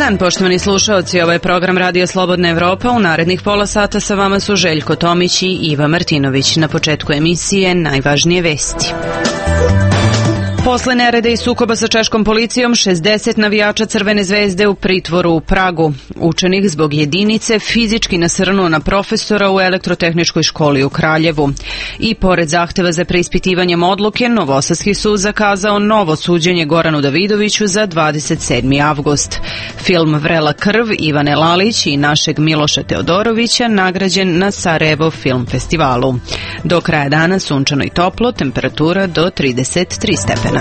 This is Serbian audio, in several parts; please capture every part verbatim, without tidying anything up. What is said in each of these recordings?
dan, poštovani slušaoci, ovo je program Radio Slobodna Evropa. U narednih pola sata sa vama su Željko Tomić i Iva Martinović. Na početku emisije najvažnije vesti. Posle nereda i sukoba sa češkom policijom, šezdeset navijača Crvene zvezde u pritvoru u Pragu. Učenik zbog jedinice fizički nasrnuo na profesora u elektrotehničkoj školi u Kraljevu. I pored zahteva za preispitivanjem odluke, Novosadski sud zakazao novo suđenje Goranu Davidoviću za dvadeset sedmi avgust. Film Vrela krv Ivane Lalić i našeg Miloša Teodorovića nagrađen na Sarajevo film festivalu. Do kraja dana sunčano i toplo, temperatura do trideset tri stepena.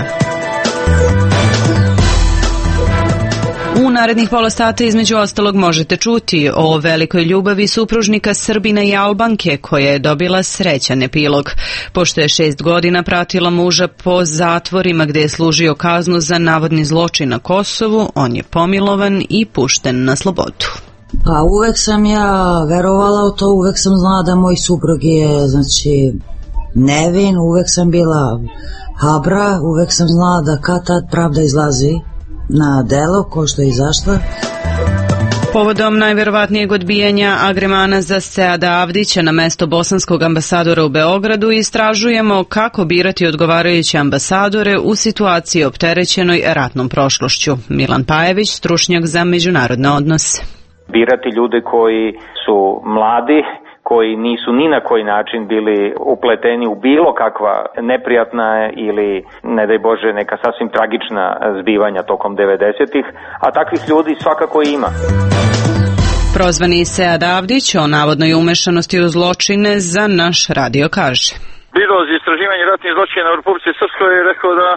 U narednih pola sata između ostalog možete čuti o velikoj ljubavi supružnika Srbina i Albanke koja je dobila srećan epilog. Pošto je šest godina pratila muža po zatvorima gde je služio kaznu za navodni zločin na Kosovu, on je pomilovan i pušten na slobodu. Pa uvek sam ja verovala u to, uvek sam znala da moj suprug je, znači, nevin, uvek sam bila habra, uvek sam znala da kad tad pravda izlazi na delo, ko što je izašla. Povodom najverovatnijeg odbijanja agremana za Seada Avdića na mesto bosanskog ambasadora u Beogradu istražujemo kako birati odgovarajuće ambasadore u situaciji opterećenoj ratnom prošlošću. Milan Pajević, stručnjak za međunarodne odnose. Birati ljude koji su mladi, koji nisu ni na koji način bili upleteni u bilo kakva neprijatna ili, ne daj Bože, neka sasvim tragična zbivanja tokom devedesetih, a takvih ljudi svakako ima. Prozvani Sead Avdić o navodnoj umešanosti u zločine za naš radio kaže. Biro za istraživanje ratnih zločina u Republici Srpskoj je rekao da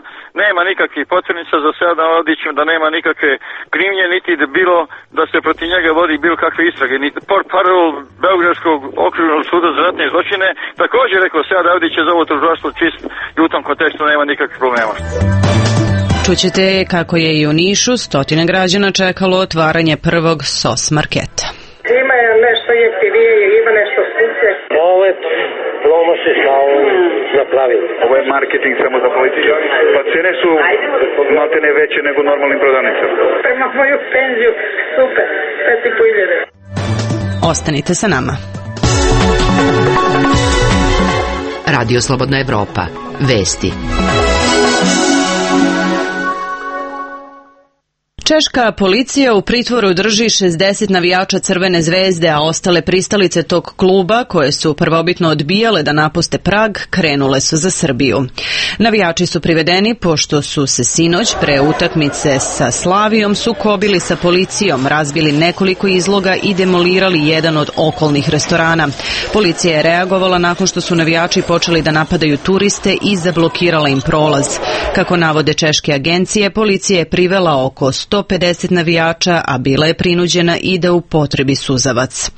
nema nikakvih potvrnica za Seada Avdića, da nema nikakve krivnje, niti da bilo da se protiv njega vodi bilo kakve istrage. Niti portparol Beogradskog okružnog suda za ratne zločine također rekao Sead Avdić je za ovo tužilaštvo čist i u tom kontekstu nema nikakvih problema. Čućete kako je i u Nišu stotine građana čekalo otvaranje prvog S O S marketa. Ima je nešto jeftinije, ima nešto skuplje. Ovo je promocije sa ovom napravili. Ovo je marketing samo za policiju. Pa cene su maltene veće nego normalnim prodavnicama. Prema moju penziju, super, pet i po hiljade. Ostanite sa nama. Radio Slobodna Evropa. Vesti. Češka policija u pritvoru drži šezdeset navijača Crvene zvezde, a ostale pristalice tog kluba, koje su prvobitno odbijale da napuste Prag, krenule su za Srbiju. Navijači su privedeni pošto su se sinoć pre utakmice sa Slavijom sukobili sa policijom, razbili nekoliko izloga i demolirali jedan od okolnih restorana. Policija je reagovala nakon što su navijači počeli da napadaju turiste i zablokirala im prolaz. Kako navode češke agencije, policija je privela oko sto pedeset navijača, a bila je prinuđena i da upotrebi suzavac.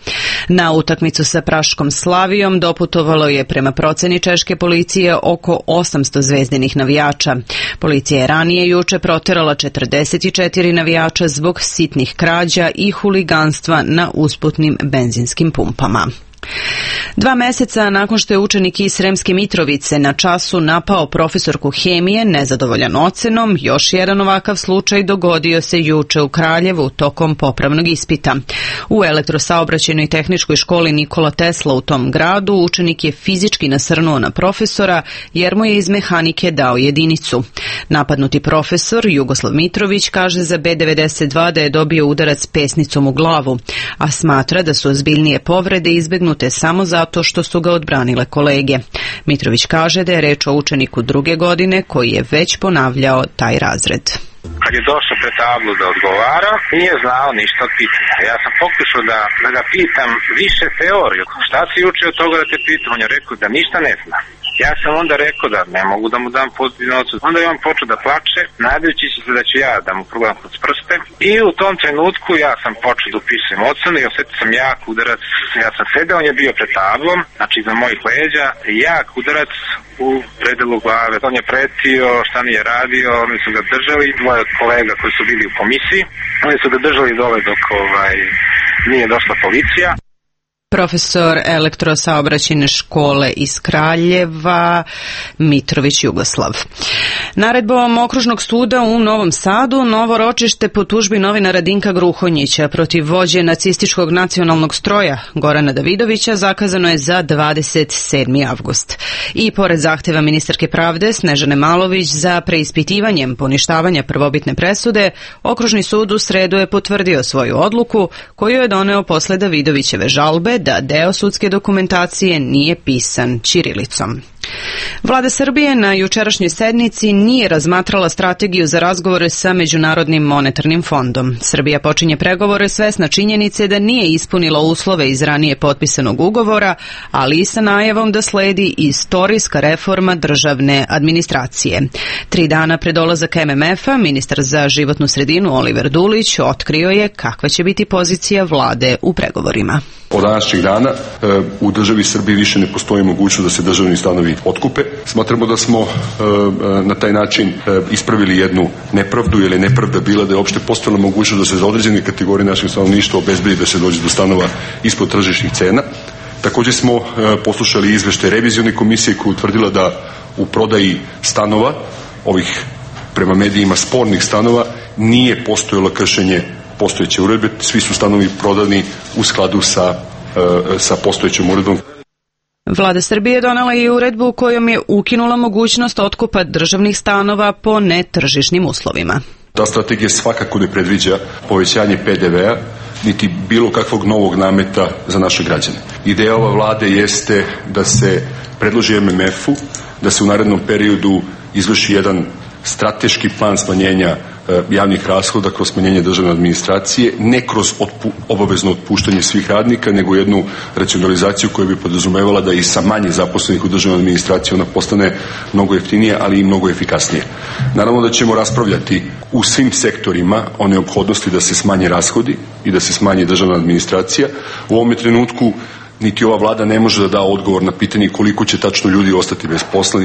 Na utakmicu sa praškom Slavijom doputovalo je prema proceni češke policije oko osamsto zvezdinih navijača. Policija je ranije juče proterala četrdeset četiri navijača zbog sitnih krađa i huliganstva na usputnim benzinskim pumpama. Dva meseca nakon što je učenik iz Sremske Mitrovice na času napao profesorku hemije nezadovoljan ocenom, još jedan ovakav slučaj dogodio se juče u Kraljevu tokom popravnog ispita. U elektrosaobraćajnoj tehničkoj školi Nikola Tesla u tom gradu učenik je fizički nasrnuo na profesora jer mu je iz mehanike dao jedinicu. Napadnuti profesor Jugoslav Mitrović kaže za B devedeset dva da je dobio udarac pesnicom u glavu, a smatra da su ozbiljnije povrede izbegnute samo zato što su ga odbranile kolege. Mitrović kaže da je reč o učeniku druge godine koji je već ponavljao taj razred. Kad je došao pred tablu da odgovara, nije znao ništa od pitanja. Ja sam pokušao da, da ga pitam više teoriju. Šta si učio od toga da te pitam? On je rekao da ništa ne zna. Ja sam onda rekao da ne mogu da mu dam pozitivnu ocenu. Onda je on počeo da plače, nadajući se da ću ja da mu progledam kroz prste. I u tom trenutku ja sam počeo da upisujem ocenu i osjetio sam jak udarac. Ja sam sedeo, on je bio pred tablom, znači iza mojih leđa, jak udarac u predelu glave. On je pretio, šta nije radio, oni su ga držali, dvoje od kolega koji su bili u komisiji. Oni su ga držali dole dok ovaj, nije došla policija. profesor elektrosaobraćajne škole iz Kraljeva, Mitrović Jugoslav. Naredbom Okružnog suda u Novom Sadu, novo ročište po tužbi novinara Dinka Gruhonjića protiv vođe nacističkog nacionalnog stroja Gorana Davidovića zakazano je za dvadeset sedmi avgust. I pored zahteva ministarke pravde Snežane Malović za preispitivanjem poništavanja prvobitne presude, Okružni sud u sredu je potvrdio svoju odluku koju je doneo posle Davidovićeve žalbe da deo sudske dokumentacije nije pisan ćirilicom. Vlada Srbije na jučerašnjoj sednici nije razmatrala strategiju za razgovore sa Međunarodnim monetarnim fondom. Srbija počinje pregovore svesna činjenice da nije ispunila uslove iz ranije potpisanog ugovora, ali i sa najavom da sledi istorijska reforma državne administracije. Tri dana pred dolazak M M F-a, ministar za životnu sredinu Oliver Dulić otkrio je kakva će biti pozicija vlade u pregovorima. Od današnjeg dana u državi Srbiji više ne postoji mogućnost da se državni stanovi otkupe. Smatramo da smo na taj način ispravili jednu nepravdu, jer je nepravda bila da je uopšte postojala mogućnost da se za određene kategorije našeg stanovništva obezbedi da se dođe do stanova ispod tržišnih cena. Također smo poslušali izveštaj revizione komisije koja je utvrdila da u prodaji stanova, ovih prema medijima spornih stanova, nije postojalo kršenje postojeće uredbe, svi su stanovi prodani u skladu sa, sa postojećom uredbom. Vlada Srbije donela i uredbu kojom je ukinula mogućnost otkupa državnih stanova po netržišnim uslovima. Ta strategija svakako ne predviđa povećanje P D V-a niti bilo kakvog novog nameta za naše građane. Ideja ove vlade jeste da se predloži M M F-u, da se u narednom periodu izvrši jedan strateški plan smanjenja javnih rashoda kroz smanjenje državne administracije, ne kroz otpu, obavezno otpuštanje svih radnika, nego jednu racionalizaciju koja bi podrazumevala da i sa manje zaposlenih u državnoj administraciji ona postane mnogo jeftinija, ali i mnogo efikasnija. Naravno da ćemo raspravljati u svim sektorima o neophodnosti da se smanje rashodi i da se smanji državna administracija. U ovome trenutku niti ova vlada ne može da da odgovor na pitanje koliko će tačno ljudi ostati bez posla.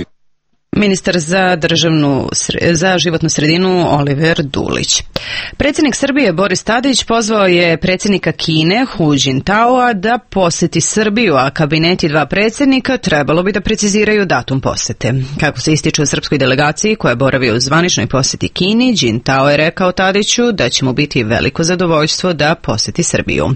Ministar za državnu za životnu sredinu Oliver Dulić. Predsjednik Srbije Boris Tadić pozvao je predsjednika Kine Hu Jintaoa da poseti Srbiju, a kabineti dva predsjednika trebalo bi da preciziraju datum posete. Kako se ističe u srpskoj delegaciji koja je boravio u zvaničnoj poseti Kini, Jintao je rekao Tadiću da će mu biti veliko zadovoljstvo da poseti Srbiju.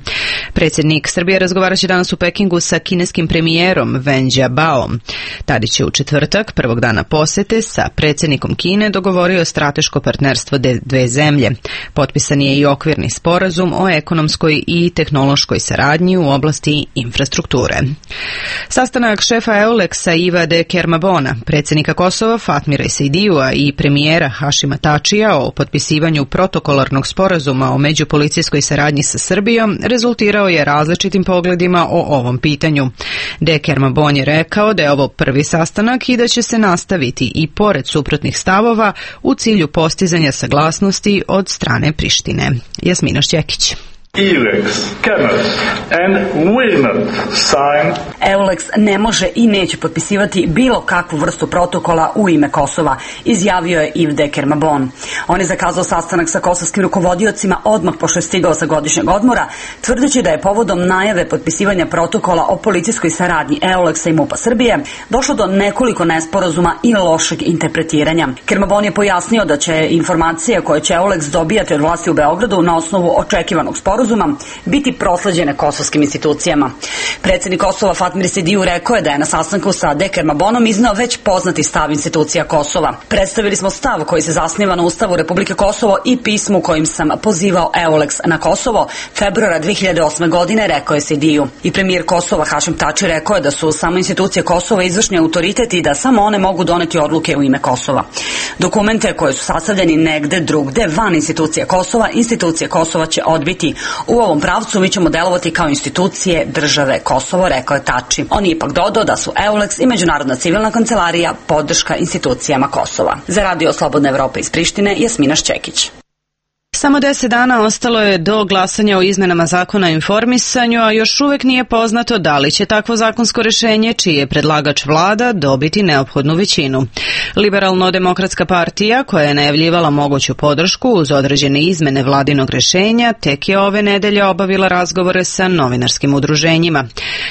Predsjednik Srbije razgovaraće danas u Pekingu sa kineskim premijerom Wen Jiabaom. Tadić je u četvrtak, prvog dana posete, sa predsjednikom Kine dogovorio strateško partnerstvo dve zemlje. Potpisan je i okvirni sporazum o ekonomskoj i tehnološkoj saradnji u oblasti infrastrukture. Sastanak šefa EULEX-a Ivade Kermabona, predsjednika Kosova Fatmira Sejdijua i premijera Hašima Tačija o potpisivanju protokolarnog sporazuma o međupolicijskoj saradnji sa Srbijom rezultirao je različitim pogledima o ovom pitanju. De Kermabon je rekao da je ovo prvi sastanak i da će se nastaviti i pored suprotnih stavova u cilju postizanja saglasnosti od strane Prištine. Jasmina Šćekić. EULEX cannot and will not sign. EULEX ne može i neće potpisivati bilo kakvu vrstu protokola u ime Kosova, izjavio je Yves de Kermabon. On je zakazao sastanak sa kosovskim rukovodiocima odmah pošto je stigao sa godišnjeg odmora, tvrdeći da je povodom najave potpisivanja protokola o policijskoj saradnji EULEX-a i MUP-a Srbije došlo do nekoliko nesporazuma i lošeg interpretiranja. Kermabon je pojasnio da će informacije koje će EULEX dobijati od vlasti u Beogradu na osnovu očekivanog sporazuma biti prosleđene kosovskim institucijama. Predsjednik Kosova Fatmir Sejdiju rekao je da je na sastanku sa De Kermabonom izneo već poznati stav institucija Kosova. Predstavili smo stav koji se zasniva na Ustavu Republike Kosovo i pismu kojim sam pozivao EULEX na Kosovo februara dve hiljade osme. godine, rekao je Sejdiju. I premijer Kosova Hašim Tači rekao je da su samo institucije Kosova izvršni autoritet i da samo one mogu doneti odluke u ime Kosova. Dokumente koje su sastavljeni negde drugde van institucije Kosova, institucije Kosova će odbiti. U ovom pravcu mi ćemo delovati kao institucije države Kosovo, rekao je Tači. On je ipak dodao da su EULEX i Međunarodna civilna kancelarija podrška institucijama Kosova. Za Radio Slobodna Evropa iz Prištine, Jasmina Šćekić. Samo deset dana ostalo je do glasanja o izmenama zakona o informisanju, a još uvek nije poznato da li će takvo zakonsko rešenje, čiji je predlagač vlada, dobiti neophodnu većinu. Liberalno-demokratska partija, koja je najavljivala moguću podršku uz određene izmene vladinog rešenja, tek je ove nedelje obavila razgovore sa novinarskim udruženjima.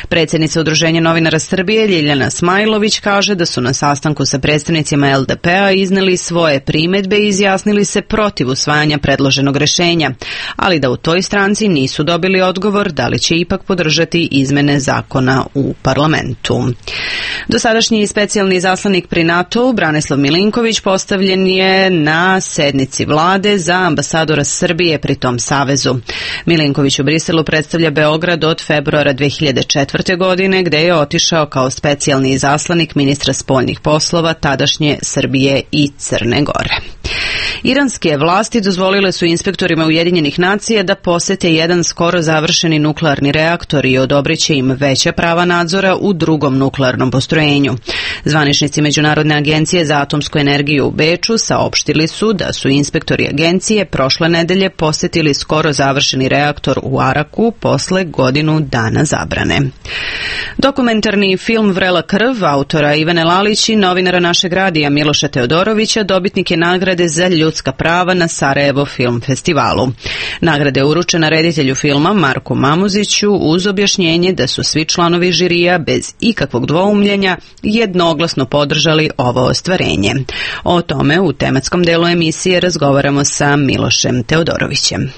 Predsjednica Udruženja novinara Srbije Ljiljana Smajlović kaže da su na sastanku sa predstavnicima el de pe a izneli svoje primedbe i izjasnili se protiv usvajanja predloženog rešenja, ali da u toj stranci nisu dobili odgovor da li će ipak podržati izmene zakona u parlamentu. Dosadašnji specijalni zaslanik pri NATO-u Branislav Milinković postavljen je na sednici vlade za ambasadora Srbije pri tom savezu. Milinković u Briselu predstavlja Beograd od februara dve hiljade četvrte. godine, gde je otišao kao specijalni zaslanik ministra spoljnih poslova tadašnje Srbije i Crne Gore. Iranske vlasti dozvolile su inspektorima Ujedinjenih nacija da posete jedan skoro završeni nuklearni reaktor i odobriće im veća prava nadzora u drugom nuklearnom postrojenju. Zvaničnici Međunarodne agencije za atomsku energiju u Beču saopštili su da su inspektori agencije prošle nedelje posetili skoro završeni reaktor u Araku posle godinu dana zabrane. Dokumentarni film Vrela krv autora Ivane Lalić i novinara našeg radija Miloša Teodorovića dobitnik je nagrade za ljudska prava na Sarajevo film festivalu. Nagrada je uručena reditelju filma Marku Mamuziću uz objašnjenje da su svi članovi žirija bez ikakvog dvoumljenja jednoglasno podržali ovo ostvarenje. O tome u tematskom delu emisije razgovaramo sa Milošem Teodorovićem.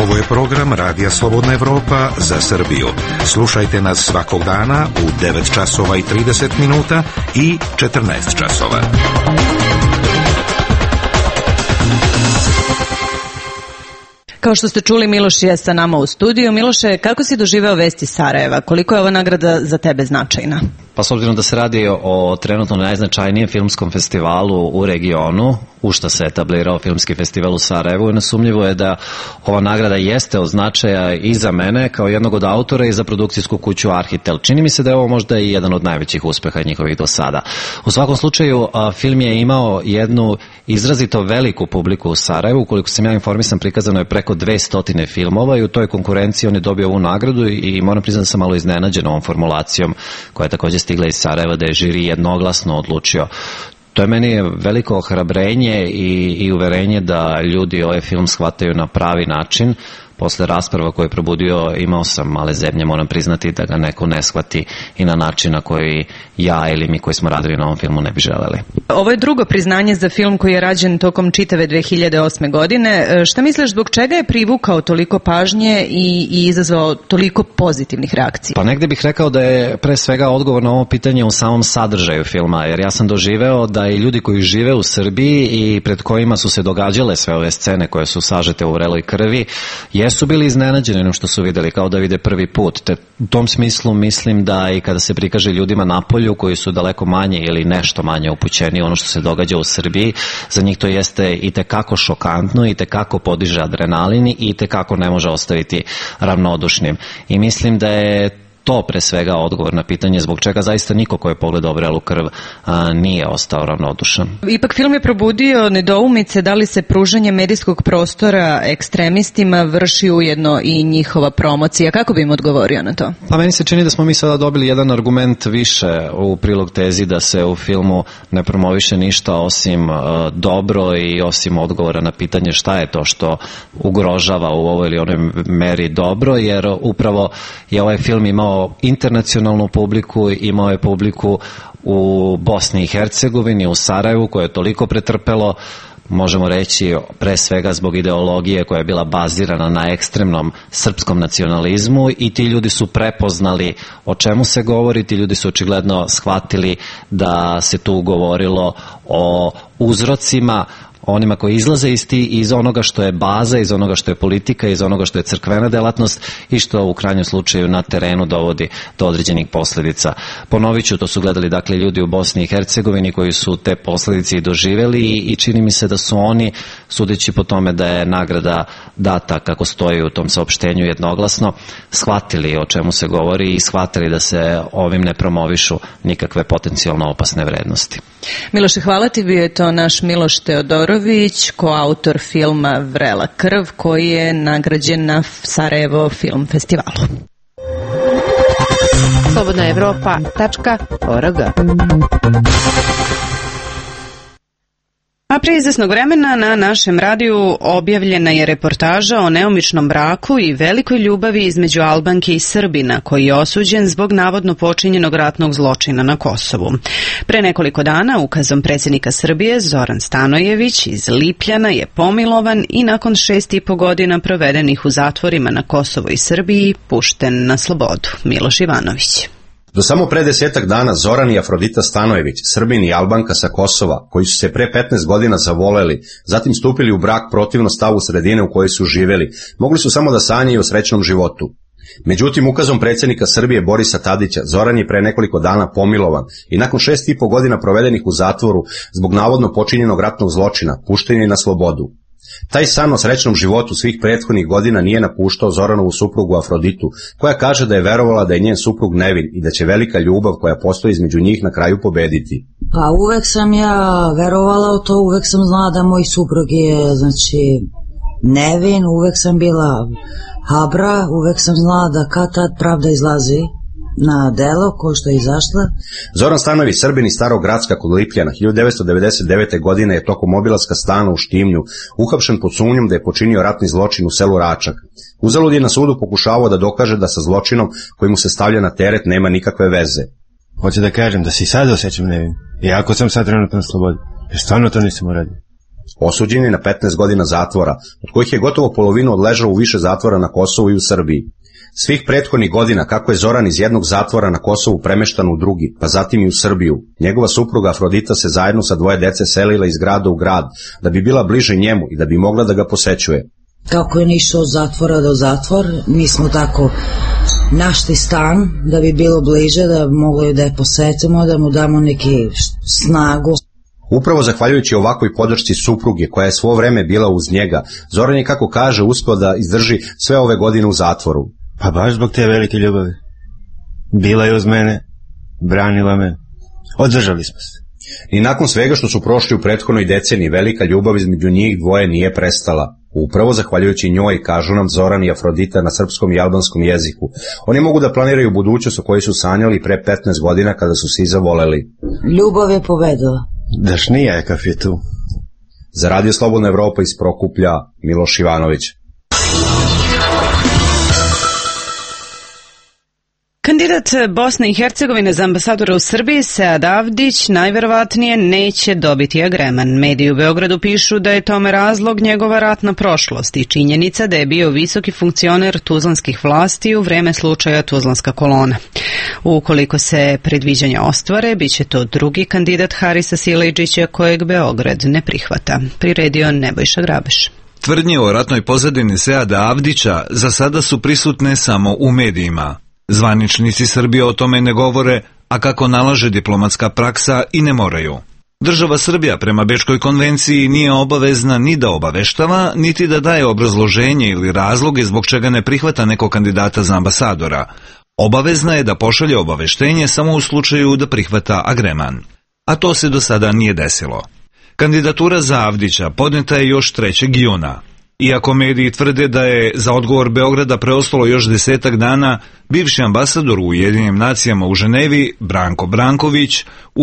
Ovo je program Radija Slobodna Evropa za Srbiju. Slušajte nas svakog dana u devet časova i trideset minuta i četrnaest časova. Kao što ste čuli, Miloš je sa nama u studiju. Miloše, kako si doživeo vesti Sarajeva? Koliko je ova nagrada za tebe značajna? Pa s obzirom da se radi o trenutno najznačajnijem filmskom festivalu u regionu, u što se etablirao filmski festival u Sarajevu, nesumnjivo je da ova nagrada jeste od značaja i za mene kao jednog od autora i za produkcijsku kuću Arhitel. Čini mi se da je ovo možda i jedan od najvećih uspeha njihovih do sada. U svakom slučaju, film je imao jednu izrazito veliku publiku u Sarajevu. Ukoliko sam ja informisan, prikazano je preko dvesta filmova i u toj konkurenciji on je dobio ovu nagradu i moram priznati da sam malo iznenađen ovom formulacijom koja je također stigla iz Sarajeva, da je žiri jednoglasno odlučio. To je meni veliko ohrabrenje i, i uverenje da ljudi ovaj film shvataju na pravi način. Posle rasprava koje je probudio, imao sam male zebnje, moram priznati da ga neko ne shvati i na način na koji ja ili mi koji smo radili na ovom filmu ne bi želeli. Ovo je drugo priznanje za film koji je rađen tokom čitave dve hiljade osme. godine. Šta misliš, zbog čega je privukao toliko pažnje i, i izazvao toliko pozitivnih reakcija? Pa negde bih rekao da je pre svega odgovor na ovo pitanje u samom sadržaju filma, jer ja sam doživeo da i ljudi koji žive u Srbiji i pred kojima su se događale sve ove scene koje su sažete u vreloj krvi, jesu bili iznenađeni onom što su videli, kao da vide prvi put. Te u tom smislu mislim da i kada se prikaže ljudima napolju koji su daleko manje ili nešto manje upućeni ono što se događa u Srbiji, za njih to jeste i tekako šokantno, i tekako podiže adrenalin i tekako ne može ostaviti ravnodušnim. I mislim da je to pre svega odgovor na pitanje zbog čega zaista niko ko je pogledao Vrelu krv a, nije ostao ravnodušan. Ipak film je probudio nedoumice da li se pružanje medijskog prostora ekstremistima vrši ujedno i njihova promocija. Kako bi im odgovorio na to? Pa meni se čini da smo mi sada dobili jedan argument više u prilog tezi da se u filmu ne promoviše ništa osim a, dobro i osim odgovora na pitanje šta je to što ugrožava u ovoj ili onoj meri dobro, jer upravo je ovaj film imao internacionalnu publiku, imao je publiku u Bosni i Hercegovini, u Sarajevu, koje je toliko pretrpelo, možemo reći pre svega zbog ideologije koja je bila bazirana na ekstremnom srpskom nacionalizmu, i ti ljudi su prepoznali o čemu se govori, ti ljudi su očigledno shvatili da se tu govorilo o uzrocima, onima koji izlaze iz, ti, iz onoga što je baza, iz onoga što je politika, iz onoga što je crkvena delatnost i što u krajnjem slučaju na terenu dovodi do određenih posljedica. Ponovit ću, to su gledali dakle ljudi u Bosni i Hercegovini koji su te posljedice i doživjeli i, i čini mi se da su oni sudeći po tome da je nagrada data kako stoji u tom saopštenju jednoglasno, shvatili o čemu se govori i shvatili da se ovim ne promovišu nikakve potencijalno opasne vrednosti. Miloše, hvala ti, bio je to naš Miloš Teodorović, koautor filma Vrela krv, koji je nagrađen na Sarajevo film festivalu. slobodna evropa tačka org. A prije izvesnog vremena na našem radiju objavljena je reportaža o neomičnom braku i velikoj ljubavi između Albanke i Srbina, koji je osuđen zbog navodno počinjenog ratnog zločina na Kosovu. Pre nekoliko dana ukazom predsjednika Srbije Zoran Stanojević iz Lipljana je pomilovan i nakon šest i po godina provedenih u zatvorima na Kosovu i Srbiji pušten na slobodu. Miloš Ivanović. Do samo pre desetak dana Zoran i Afrodita Stanojević, Srbin i Albanka sa Kosova, koji su se pre petnaest godina zavoleli, zatim stupili u brak protivno stavu sredine u kojoj su živeli, mogli su samo da sanjaju o srećnom životu. Međutim, ukazom predsjednika Srbije Borisa Tadića, Zoran je pre nekoliko dana pomilovan i nakon šest i po godina provedenih u zatvoru zbog navodno počinjenog ratnog zločina, pušten je na slobodu. Taj san o srećnom životu svih prethodnih godina nije napuštao Zoranovu suprugu Afroditu, koja kaže da je verovala da je njen suprug nevin i da će velika ljubav koja postoji između njih na kraju pobediti. Pa uvek sam ja verovala u to, uvek sam znala da moj suprug je, znači, nevin, uvek sam bila habra, uvek sam znala da kad tad pravda izlazi na delo, ko što je izašla. Zoran Stanojević, Srbin iz Starog Gracka kod Lipljana, hiljadu devetsto devedeset devete. godine je tokom obilaska stana u Štimnju uhapšen pod sumnjom da je počinio ratni zločin u selu Račak. Uzalud je na sudu pokušavao da dokaže da sa zločinom koji mu se stavlja na teret nema nikakve veze. Hoće da kažem da se i sad osjećam nevin, iako sam sad trenutno na slobodi, jer stvarno to nisam uradio. Osuđen je na petnaest godina zatvora, od kojih je gotovo polovinu odležao u više zatvora na Kosovu i u Srbiji. Svih prethodnih godina, kako je Zoran iz jednog zatvora na Kosovu premeštan u drugi, pa zatim i u Srbiju, njegova supruga Afrodita se zajedno sa dvoje dece selila iz grada u grad, da bi bila bliže njemu i da bi mogla da ga posećuje. Kako je išao od zatvora do zatvor, mi smo tako našli stan, da bi bilo bliže, da mogli da je posetimo, da mu damo neki snagu. Upravo zahvaljujući ovakvoj podršci supruge, koja je svo vreme bila uz njega, Zoran je, kako kaže, uspio da izdrži sve ove godine u zatvoru. Pa baš zbog te velike ljubavi. Bila je uz mene, branila me, održali smo se. I nakon svega što su prošli u prethodnoj deceniji, velika ljubav između njih dvoje nije prestala. Upravo zahvaljujući njoj, kažu nam Zoran i Afrodita na srpskom i albanskom jeziku. Oni mogu da planiraju budućnost o kojoj su sanjali pre petnaest godina kada su se i zavoleli. Ljubav je pobedila. Dašnija je kaf je tu. Za Radio Slobodna Evropa iz Prokuplja, Miloš Ivanović. Kandidat Bosne i Hercegovine za ambasadora u Srbiji, Sead Avdić, najverovatnije neće dobiti agreman. Mediji u Beogradu pišu da je tome razlog njegova ratna prošlost i činjenica da je bio visoki funkcioner tuzlanskih vlasti u vreme slučaja Tuzlanska kolona. Ukoliko se predviđanja ostvare, bit će to drugi kandidat Harisa Silejdžića kojeg Beograd ne prihvata. Priredio Nebojša Grabeš. Tvrdnje o ratnoj pozadini Seada Avdića za sada su prisutne samo u medijima. Zvaničnici Srbije o tome ne govore, a kako nalaže diplomatska praksa i ne moraju. Država Srbija prema Bečkoj konvenciji nije obavezna ni da obaveštava, niti da daje obrazloženje ili razloge zbog čega ne prihvata nekog kandidata za ambasadora. Obavezna je da pošalje obaveštenje samo u slučaju da prihvata agreman. A to se do sada nije desilo. Kandidatura za Avdića podneta je još trećeg juna. Iako mediji tvrde da je za odgovor Beograda preostalo još desetak dana, bivši ambasador u Ujedinjenim nacijama u Ženevi, Branko Branković,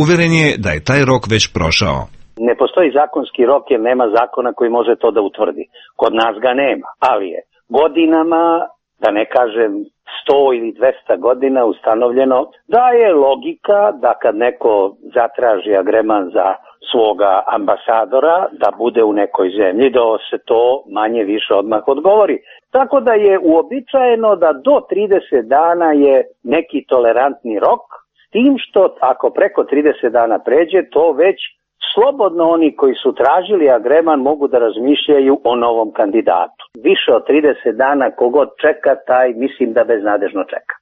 uveren je da je taj rok već prošao. Ne postoji zakonski rok jer nema zakona koji može to da utvrdi. Kod nas ga nema, ali je godinama, da ne kažem sto ili dvesta godina ustanovljeno da je logika da kad neko zatraži agreman za svoga ambasadora da bude u nekoj zemlji, da se to manje više odmah odgovori. Tako da je uobičajeno da do trideset dana je neki tolerantni rok, s tim što ako preko trideset dana pređe, to već slobodno oni koji su tražili agreman mogu da razmišljaju o novom kandidatu. Više od trideset dana kogod čeka, taj mislim da beznadežno čeka.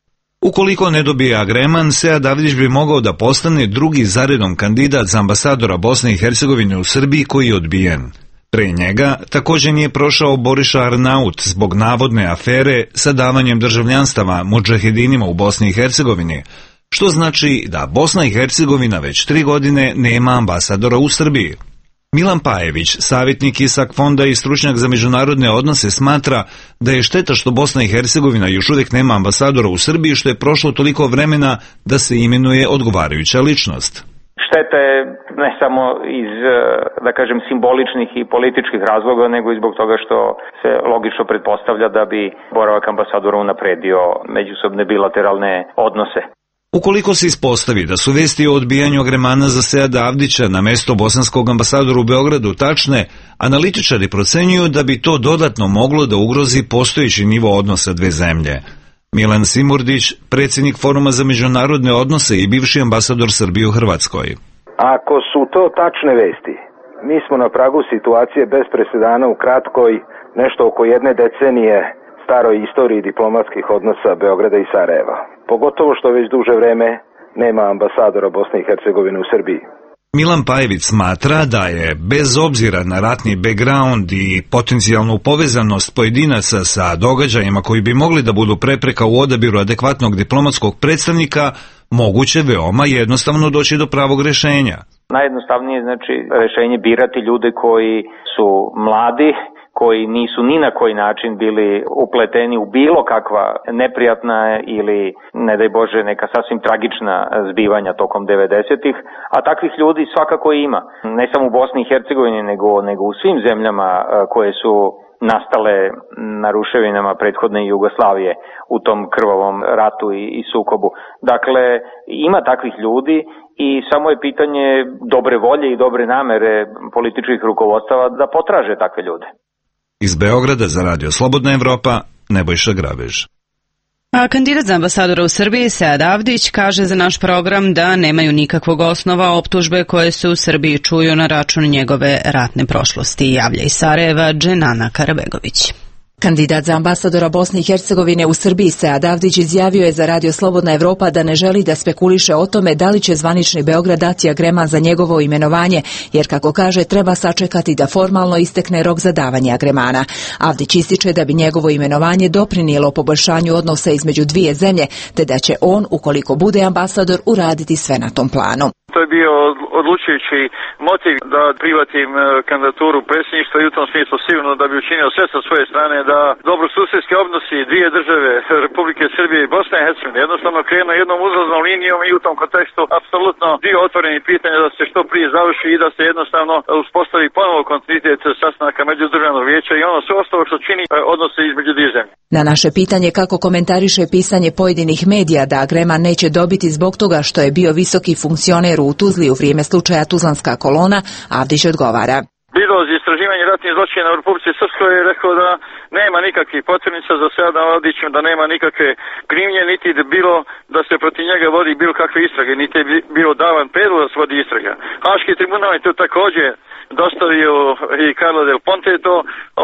Ukoliko ne dobije agreman, Sead Avdić bi mogao da postane drugi zaredom kandidat za ambasadora Bosne i Hercegovine u Srbiji koji je odbijen. Pre njega također nije prošao Boriša Arnaut zbog navodne afere sa davanjem državljanstava mudžahedinima u Bosni i Hercegovini, što znači da Bosna i Hercegovina već tri godine nema ambasadora u Srbiji. Milan Pajević, savjetnik Isak fonda i stručnjak za međunarodne odnose, smatra da je šteta što Bosna i Hercegovina još uvijek nema ambasadora u Srbiji, što je prošlo toliko vremena da se imenuje odgovarajuća ličnost. Šteta je ne samo iz, da kažem, simboličnih i političkih razloga, nego i zbog toga što se logično pretpostavlja da bi boravak ambasadora unapredio međusobne bilateralne odnose. Ukoliko se ispostavi da su vesti o odbijanju agremana za Seada Avdića na mesto bosanskog ambasadora u Beogradu tačne, analitičari procenjuju da bi to dodatno moglo da ugrozi postojeći nivo odnosa dve zemlje. Milan Simurdić, predsjednik Foruma za međunarodne odnose i bivši ambasador Srbije u Hrvatskoj. Ako su to tačne vesti, mi smo na pragu situacije bez presedana u kratkoj, nešto oko jedne decenije staroj istoriji diplomatskih odnosa Beograda i Sarajeva. Pogotovo što već duže vreme nema ambasadora Bosne i Hercegovine u Srbiji. Milan Pajević smatra da je, bez obzira na ratni background i potencijalnu povezanost pojedinaca sa događajima koji bi mogli da budu prepreka u odabiru adekvatnog diplomatskog predstavnika, moguće veoma jednostavno doći do pravog rješenja. Najjednostavnije je znači rješenje birati ljude koji su mladi, koji nisu ni na koji način bili upleteni u bilo kakva neprijatna ili, ne daj Bože, neka sasvim tragična zbivanja tokom devedesetih, a takvih ljudi svakako ima. Ne samo u Bosni i Hercegovini, nego, nego u svim zemljama koje su nastale na ruševinama prethodne Jugoslavije u tom krvavom ratu i, i sukobu. Dakle, ima takvih ljudi i samo je pitanje dobre volje i dobre namere političkih rukovodstava da potraže takve ljude. Iz Beograda za Radio Slobodna Evropa, Nebojša Grabež. A kandidat za ambasadora u Srbiji, Sead Avdić, kaže za naš program da nemaju nikakvog osnova optužbe koje se u Srbiji čuju na račun njegove ratne prošlosti. Javlja iz Sarajeva Dženana Karabegović. Kandidat za ambasadora Bosne i Hercegovine u Srbiji Sead Avdić izjavio je za Radio Slobodna Evropa da ne želi da spekuliše o tome da li će zvanični Beograd dati agreman za njegovo imenovanje, jer kako kaže treba sačekati da formalno istekne rok za davanje agremana. Avdić ističe da bi njegovo imenovanje doprinijelo poboljšanju odnosa između dvije zemlje, te da će on, ukoliko bude ambasador, uraditi sve na tom planu. To je bio odlučujući motiv da prihvatim kandidaturu predsjedništva i u tom smislu sigurno da bi učinio sve sa svoje strane da dobrosusjedski odnosi dvije države, Republike Srbije i Bosne i Hercegovine, jednostavno krenu jednom uzlaznom linijom i u tom kontekstu apsolutno dio otvorenih pitanja da se što prije završi i da se jednostavno uspostavi ponovo kontinuitet sastanaka međudržavnog vijeća i ono sve ostalo što čini odnose između dvije zemlje. Na naše pitanje kako komentariše pisanje pojedinih medija da agreman neće dobiti zbog toga što je bio visoki funkcioner u Tuzli u vrijeme slučaja Tuzlanska kolona, Avdić odgovara. Biro za istraživanje ratnih zločina u Republici Srpskoj je rekao da nema nikakvih potvrnica za Seada Avdića, da nema nikakve krivnje, niti da bilo da se protiv njega vodi bilo kakve istrage, niti je bilo davan predlog da se vodi istraga. Haški tribunal je to također dostavio i Carla Del Ponte to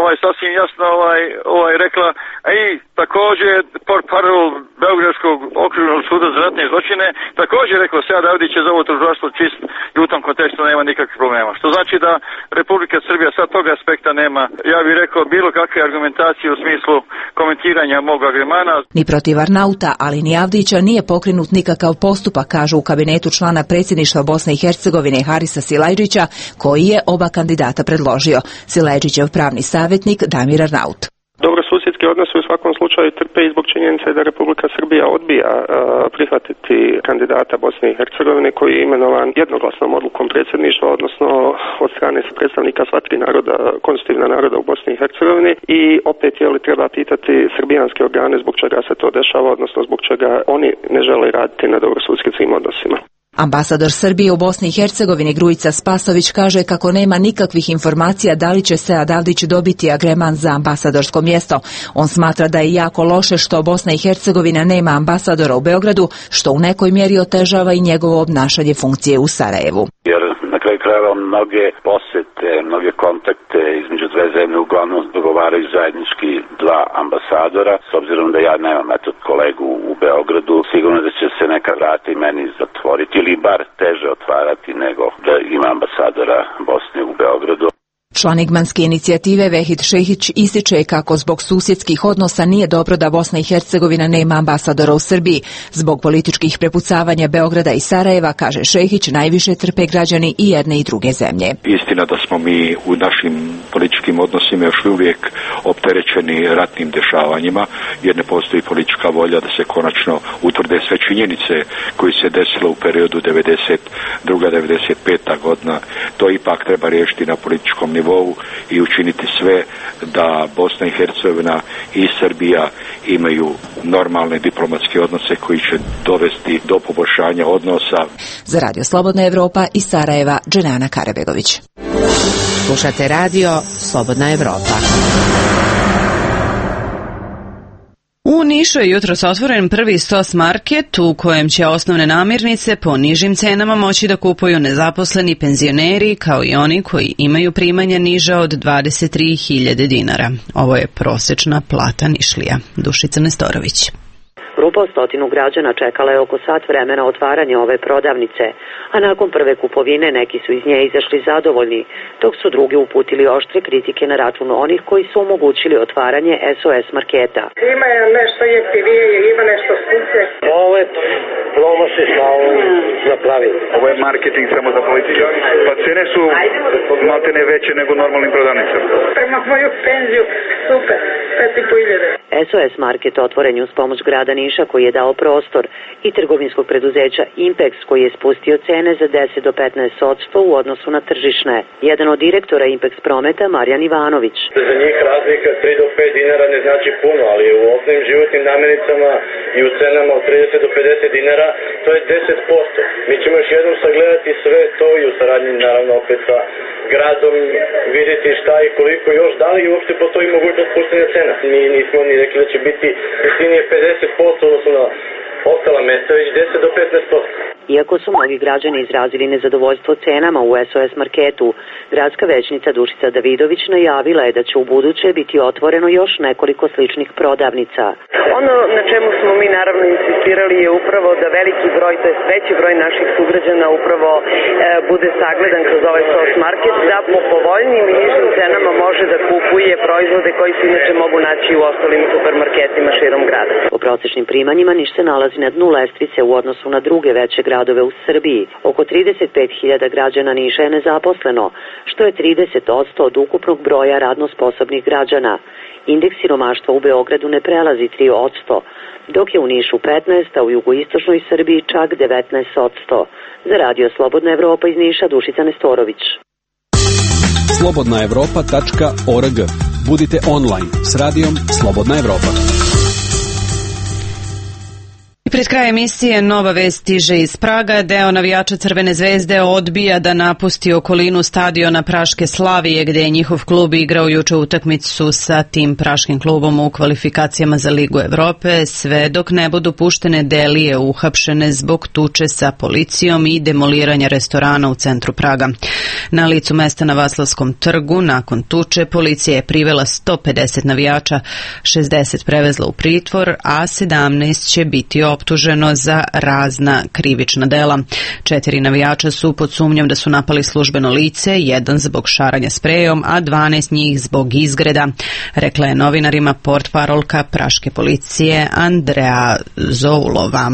ovaj sasvim jasno ovaj ovaj rekla, a i također portparol Beogradskog okružnog suda za ratne zločine također rekao Sead Avdić je za ovo tužilaštvo čist i u tom kontekstu nema nikakvih problema. Što znači da Republika Srbija sa tog aspekta nema, ja bih rekao, bilo kakve argumentacije u smislu komentiranja mog agremana. Ni protiv Arnauta, ali ni Avdića nije pokrenut nikakav postupak, kažu u kabinetu člana predsjedništva Bosne i Hercegovine Harisa Silajdžića, koji je oba kandidata predložio. Silajdžićev pravni savjetnik Damir Arnaut. Dobrosusjedski odnosi u svakom slučaju trpe i zbog činjenice da Republika Srbija odbija uh, prihvatiti kandidata Bosne i Hercegovine koji je imenovan jednoglasnom odlukom predsjedništva, odnosno od strane predstavnika sva tri naroda, konstitutivna naroda u Bosni i Hercegovini, i opet je li treba pitati srbijanske organe zbog čega se to dešava, odnosno zbog čega oni ne žele raditi na dobrosusjedskim odnosima. Ambasador Srbije u Bosni i Hercegovini Grujica Spasović kaže kako nema nikakvih informacija da li će Sead Avdić dobiti agreman za ambasadorsko mjesto. On smatra da je jako loše što Bosna i Hercegovina nema ambasadora u Beogradu, što u nekoj mjeri otežava i njegovo obnašanje funkcije u Sarajevu. Jer na kraju krajeva mnoge posete, mnoge kontakte između dve zemlje uglavnom dogovaraju zajednički dva ambasadora. S obzirom da ja nemam eto kolegu u Beogradu, sigurno da će se neka vrata i meni zatvoriti ili bar teže otvarati nego da ima ambasadora Bosne u Beogradu. Član Igmanske inicijative Vehid Šehić ističe kako zbog susjedskih odnosa nije dobro da Bosna i Hercegovina nema ambasadora u Srbiji. Zbog političkih prepucavanja Beograda i Sarajeva, kaže Šehić, najviše trpe građani i jedne i druge zemlje. Istina da smo mi u našim političkim odnosima još uvijek opterećeni ratnim dešavanjima, jer ne postoji politička volja da se konačno utvrde sve činjenice koji se desilo u periodu devedeset druga do devedeset peta godina. To ipak treba riješiti na političkom nivou i učiniti sve da Bosna i Hercegovina i Srbija imaju normalne diplomatske odnose koji će dovesti do poboljšanja odnosa. Za Radio Slobodna Evropa iz Sarajeva, Dženana Karabegović. Slušate radio Slobodna Evropa. U Nišu je jutros otvoren prvi SOS market u kojem će osnovne namirnice po nižim cenama moći da kupuju nezaposleni penzioneri kao i oni koji imaju primanja niža od dvadeset tri hiljade dinara. Ovo je prosečna plata Nišlija. Dušica Nestorović. Grupa od stotinu građana čekala je oko sat vremena otvaranja ove prodavnice, a nakon prve kupovine neki su iz nje izašli zadovoljni, dok su drugi uputili oštre kritike na račun onih koji su omogućili otvaranje S O S marketa. Ima nešto jeftinije, ima nešto skuplje. Ovo je promo se stalno napravili. Ovo je marketing samo za policiju. Pa cene su maltene veće nego normalnim prodavnicama. Prema moju penziju, super, pet i po hiljade. S O S market otvoren je uz pomoć grada Niša koji je dao prostor i trgovinskog preduzeća Impex koji je spustio cene za deset do petnaest posto u odnosu na tržišne. Jedan od direktora Impex prometa, Marjan Ivanović. Za njih razlika tri do pet dinara ne znači puno, ali u osnovnim životnim namirnicama i u cenama od trideset do pedeset dinara to je deset posto. Mi ćemo još jednom sagledati sve to i u saradnji naravno opet sa gradom vidjeti šta i koliko još, da li uopšte postoji mogućnost spuštanja cena. Mi nismo ni rekli da će biti jeftinije pedeset posto odnosno na ostala mesta, već deset do petnaest posto. Iako su mnogi građani izrazili nezadovoljstvo cenama u S O S marketu, gradska većnica Dušica Davidović najavila je da će u buduće biti otvoreno još nekoliko sličnih prodavnica. Ono na čemu smo mi naravno insistirali je upravo da veliki broj, to je veći broj naših sugrađana upravo e, bude sagledan kroz ovaj S O S market, da po povoljnijim i nižim cenama može da kupuje proizvode koji se inače mogu naći u ostalim supermarketima širom grada. Po prosečnim primanjima Niš se nalazi na dnu lestvice u odnosu na druge veće gradove u Srbiji. Oko trideset pet hiljada građana Niša je nezaposleno, što je trideset posto od ukupnog broja radno sposobnih građana. Indeks siromaštva u Beogradu ne prelazi tri posto, dok je u Nišu petnaest, a u jugoistočnoj Srbiji čak devetnaest posto. Za Radio Slobodna Evropa iz Niša, Dušica Nestorović. slobodna evropa tačka org. Budite online s radijom Slobodna Evropa. I pred kraj emisije nova vest stiže iz Praga. Deo navijača Crvene zvezde odbija da napusti okolinu stadiona Praške Slavije, gde je njihov klub igrao juče utakmicu sa tim praškim klubom u kvalifikacijama za Ligu Evrope, sve dok ne budu puštene Delije uhapšene zbog tuče sa policijom i demoliranja restorana u centru Praga. Na licu mesta na Vaslavskom trgu nakon tuče policija je privela sto pedeset navijača, šezdeset prevezla u pritvor, a sedamnaest će biti optuženo za razna krivična dela. Četiri navijača su pod sumnjom da su napali službeno lice, jedan zbog šaranja sprejom, a dvanaest njih zbog izgreda, rekla je novinarima portparolka praške policije Andrea Zoulova.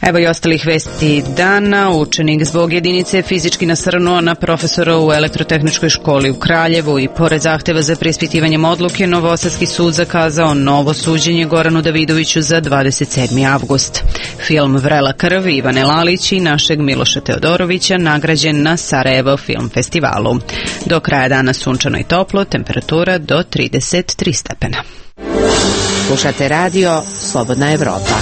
Evo i ostalih vesti dana. Učenik zbog jedinice fizički nasrnuo na profesora u Elektrotehničkoj školi u Kraljevu i pored zahteva za preispitivanjem odluke, Novosadski sud zakazao novo suđenje Goranu Davidoviću za dvadeset sedmi avgust. Film Vrela krv Ivane Lalić i našeg Miloša Teodorovića nagrađen na Sarajevo film festivalu. Do kraja dana sunčano i toplo, temperatura do trideset tri stepena. Slušate radio Slobodna Evropa.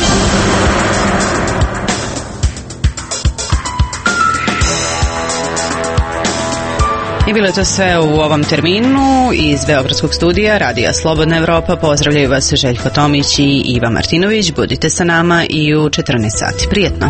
I bilo je to sve u ovom terminu. Iz Beogradskog studija Radija Slobodna Evropa pozdravljaju vas Željko Tomić i Iva Martinović. Budite sa nama i u četrnaest sati. Prijetno.